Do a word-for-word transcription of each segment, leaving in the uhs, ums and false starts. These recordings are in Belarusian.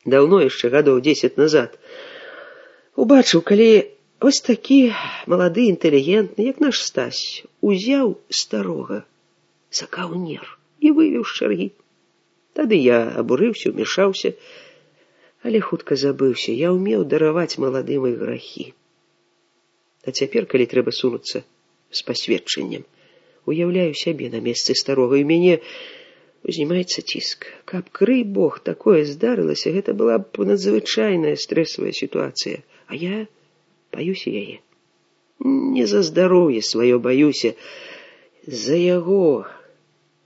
даўно яшчэ гадоў дзесяць назад убачыў, калі ось такі малады інтэлігентны, як наш Стась, узяў старога за каўнер і вывеў з чаргі. Тады я абурыўся, умешаўся, але хутка забыўся. Я ўмеў дараваць маладым іх грахі. А цяпер, калі трэба сунуцца з пасведчаннем, уяўляю сябе на месцы старога, і мяне узнімаецца ціск. Каб, крый Бог, такое здарылася, гэта была б надзвычайная стрэсавая сітуацыя. А я баюся яе. Не за здароўе сваё баюся, за яго,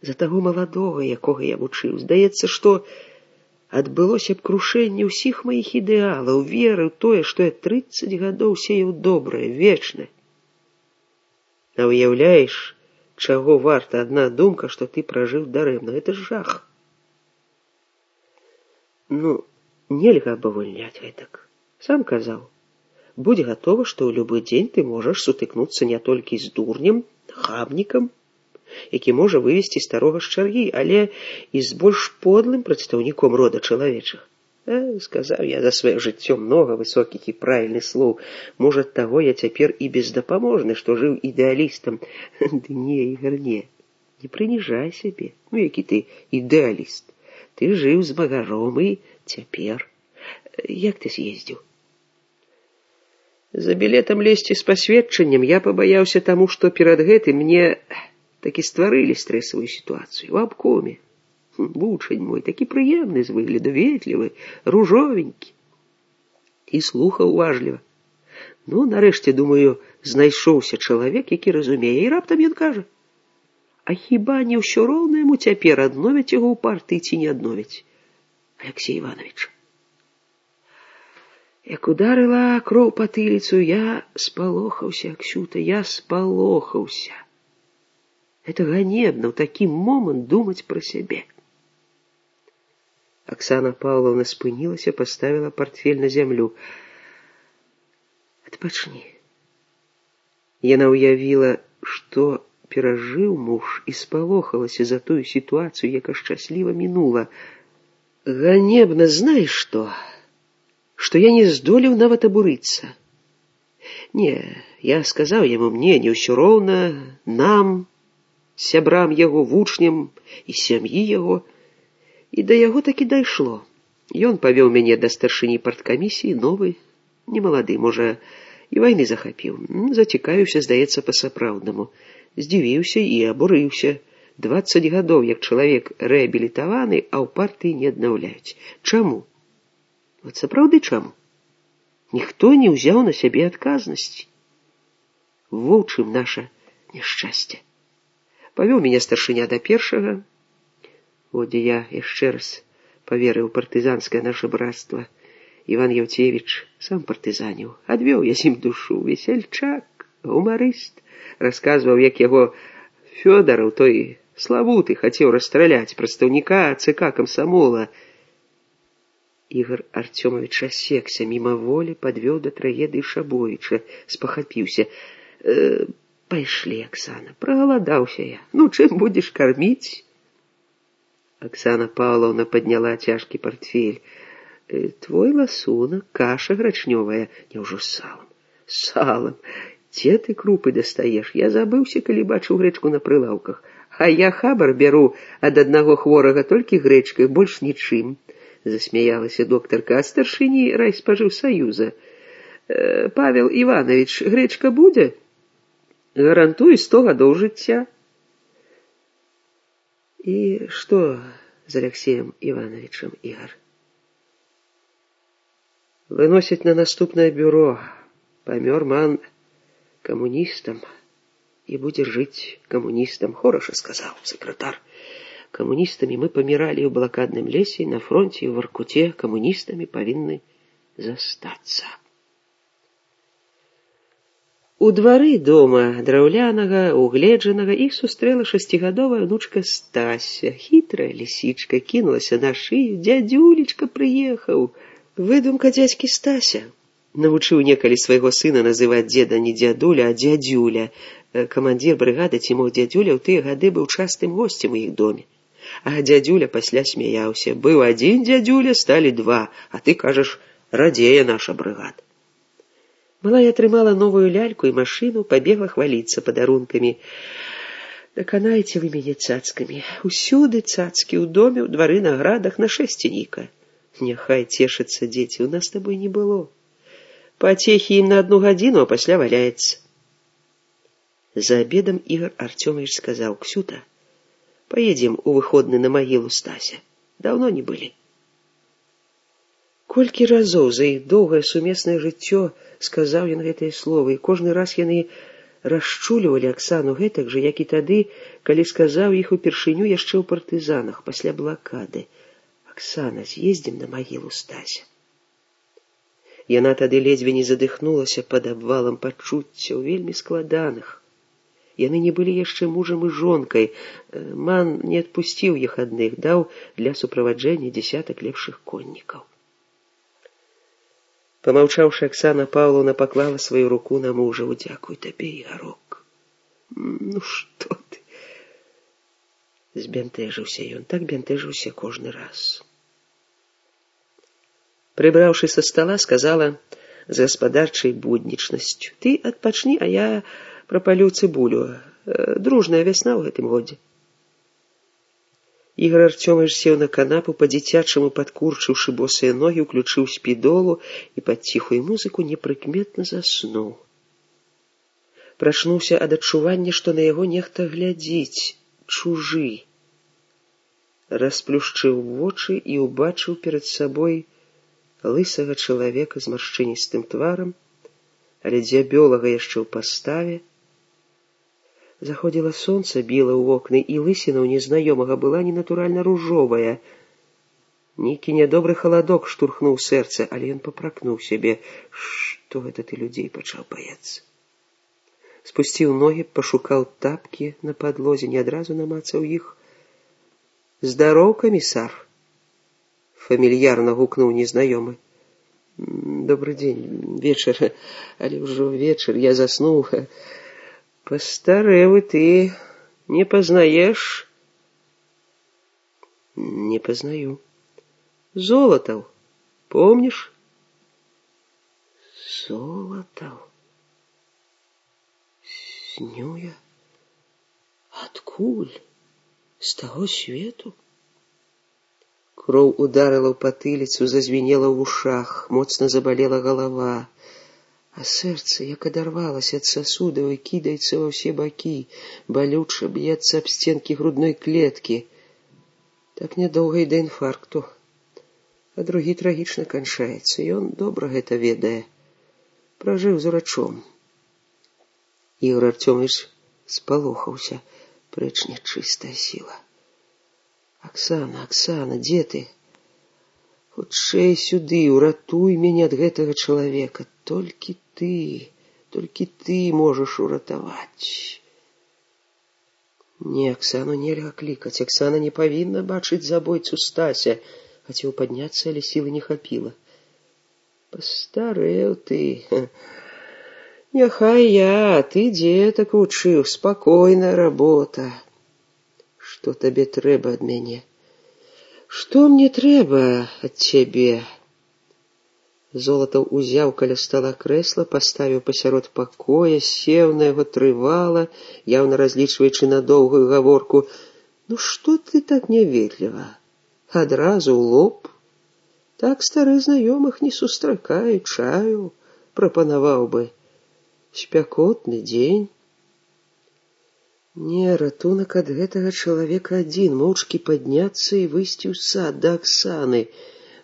за таго маладога, якога я вучыў. Здаецца, што адбылося б крушэнне ўсіх маіх ідэалаў, веры ў тое, што я трыццаць гадоў сеяў добрае, вечнае. А уяўляеш, чаго варта адна думка, што ты пражыў дарэмна. Гэта ж жах. Ну, нельга абавольняць гэтак. Сам казаў, будь гатова, што ў любы дзень ты можаш сутыкнуцца не толькі з дурнем, хабнікам, які можа вывесці старога з чаргі, але і з больш подлым прадстаўніком рода чалавечых. Э, сказаў я за сваё жыццё многа высокіх і правільных слоў. Можа, таго я цяпер і бездапаможны, што жыў ідэалістам. Ды не, Ігар, не. Не прыніжай сябе. Ну, які ты ідэаліст. Ты жыў з магаром і цяпер. Як ты з'ездзіў? За білетам лезці з пасведчаннем я пабаяўся таму, што перад гэтым мне такі стварылі стрэсавую сітуацыю. У абкоме. Вучань мой, такі прыемны з выгляду, ветлівы, ружовенькі. І слухаў уважліва. Ну, нарэшце, думаю, знайшоўся чалавек, які разумее, і раптам ён кажа: а хіба не ўсё роўна яму цяпер, адновяць яго ў партыі ці не адновяць? Алексей Иванович. Як ударыла кроў па тыліцу, я спалохаўся, Аксюта, я спалохаўся. Это ганебна ў такі момант думаць пра сябе. Оксана Павловна спынілася, поставила портфель на зямлю. Адпачні. Яна уявіла, што перажыў муж, і спалохалася за тую сітуацыю, яка шчасліва мінула. Ганебна, знаеш што? Што я не здолеў нават абурыцца. Не, я сказаў яму, мне не ўсё роўна, нам, сябрам яго, вучням і сям'і яго. І да яго такі дайшло. Ён павёў мяне да старшыні парткамісіі, новы, немалады, можа, і вайны захапіў. Зацікавіўся, здаецца, па-сапраўднаму. Здзівіўся і абурыўся. Дваццаць гадоў, як чалавек рэабілітаваны, а ў партыі не аднаўляюць. Чаму? От сапраўды чаму? Ніхто не ўзяў на сябе адказнасці. Во ў чым наша няшчасце. Павёў мяне старшыня да першага. От я яшчэ раз паверыў партызанскае наша брацтва. Іван Яўцевіч сам партызаніў. Адвёў я з ім душу. Весельчак, гумарыст. Расказваў, як яго Фёдараў, той славуты, хацеў расстраляць прадстаўніка ЦК камсамола. Ігор Артёмович асекся, мімаволі падвёў да трагедыі Шабовіча, спахапіўся. Э, пайшлі, Аксана, прагаладаўся я. Ну, чым будзеш карміць? Оксана Павловна подняла цяжкі портфель. Э, твой ласунак, каша грачнёвая, няўжо з салам? З салам. Дзе ты крупы дастаеш? Я забыўся, калі бачыў грэчку на прылаўках. А я хабар бяру ад аднаго хворага толькі грэчкай, больш нічым. Засмяялася доктарка, ад старшыні райспажыўсаюза. Э, Павел Иванович, грэчка будзе? Гарантую сто гадоў жыцця. И что с Алексеем Ивановичем, Игорь? Выносить на наступное бюро. Помер ман коммунистом и будет жить коммунистом. Хорошо сказал секретарь. Коммунистами мы помирали в блокадном лесе, на фронте и в Воркуте. Коммунистами повинны застаться. У двары дома драўлянага, угледжанага, іх сустрэла шасцігадовая внучка Стася. Хітрая лісічка кінулася на шыю. Дзядзюлечка прыехаў. Выдумка дзядзькі Стася. Навучыў некалі свайго сына называць дзеда не дзядуля, а дзядзюля. Камандзір брыгады ці мог дзядзюля ў тыя гады быў частым госцем у іх доме. А дзядзюля пасля смяяўся. Быў адзін дзядзюля, сталі два, а ты кажаш, радзее наша брыгад. Малая атрымала новую ляльку і машыну, пабегла хваліцца падарункамі. Даканайце вы мяне цацкамі. Усюды цацкі, у доме, у двары, на градах, на шэсценіка. Няхай цешацца дзеці, у нас з табой не было. Пацехі ім на одну гадзіну, а пасля валяецца. За обедом Игорь Артемович сказал: «Ксюта, поедем у выходны на могилу Стася. Давно не были». Колькі разоў за іх доўгае сумеснае жыццё сказаў ён гэтыя словы, і кожны раз яны расчулівалі Аксану гэтак жа, як і тады, калі сказаў іх упершыню яшчэ ў партызанах, пасля блакады: «Аксана, з'ездзім на магілу Стася». Яна тады ледзьве не задыхнулася пад абвалам пачуццяў, вельмі складаных. Яны не былі яшчэ мужам і жонкай. Ман не адпусціў іх адных, даў для суправаджэння дзесятак лепшых коннікаў. Помаўчаўшы, Аксана Павловна паклала сваю руку на мужа. «Дзякуй табе, Ігарок». «Ну што ты?» Збянтэжыўся ён, так бянтэжыўся кожны раз. Прыбраўшы са стола, сказала з гаспадарчай буднічнасцю: «Ты адпачні, а я прапалю цыбулю. Дружная вясна ў гэтым годзе». Ігор Артёмович сеў на канапу, па-дзіцячаму падкурчыўшы босыя ногі, уключыў спідолу і пад ціхую музыку непрыкметна заснуў. Прачнуўся ад адчування, што на яго нехта глядзіць, чужы. Расплюшчыў вочы і ўбачыў перад сабой лысага чалавека з маршчыністым тварам, але дзябёлага яшчэ ў паставе. Заходзіла сонца, біла ў вокны, і лысіна ў незнаёмага была ненатуральна ружовая. Нейкі нядобры халадок штурхнуў сэрца, але ён папракнуў сябе. Што гэта ты людзей пачаў баяцца? Спусціў ногі, пашукаў тапкі на падлозе, не адразу намацаў іх. «Здароў, камісар!» фамільярна гукнуў незнаёмы. «Добрый дзень, вечар, але ўжо вечар, я заснуў. Постарэў ты, не пазнаеш?» «Не познаю. Золотов, помнишь?» «Золотов? Сню я? Адкуль? З таго свету?» Кроў ударыла ў патыліцу, зазвенела ў вушах, моцна забалела галава. А сэрца, як адарвалася ад сасудаў і кідаецца ва ўсе бакі, балюча б'ецца аб сценкі грудной клеткі. Так нядоўга і да інфаркту. А другі трагічна канчаецца. Ён добра гэта ведае. Пражыў з урачом. Ігор Артёмович спалохаўся. Прэч нячыстая сіла. «Аксана, Аксана, дзе ты? Хутчэй сюды, уратуй мяне ад гэтага чалавека. Толькі ты, толькі ты можаш уратаваць». Не, Аксану нельга клікаць. Аксана не павінна бачыць забойцу Стася. Хацеў падняцца, але сілы не хапіла. «Пастарэў ты. Няхай я, ты дзетак вучыў, спакойная работа. Што табе трэба ад мяне?» «Што мне трэба ад цябе?» Золатаў узяў каля стола крэсла, паставіў пасярод пакоя, сеў на яго трывала, яўна разлічваючы на доўгую гаворку. «Ну што ты так няветліва? Адразу ў лоб? Так стары знаёмых не сустракаю, чаю, прапанаваў бы. Спякотны дзень». Не, ратунак ад гэтага чалавека адзін, моўчкі падняцца і выйсці ў сад да Аксаны.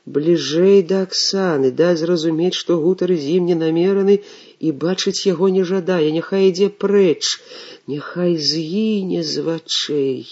Бліжэй да Аксаны, даць зразумець, што гутар з ім не намераны і бачыць яго не жадае. Няхай ідзе прэч, няхай згіне з вачэй.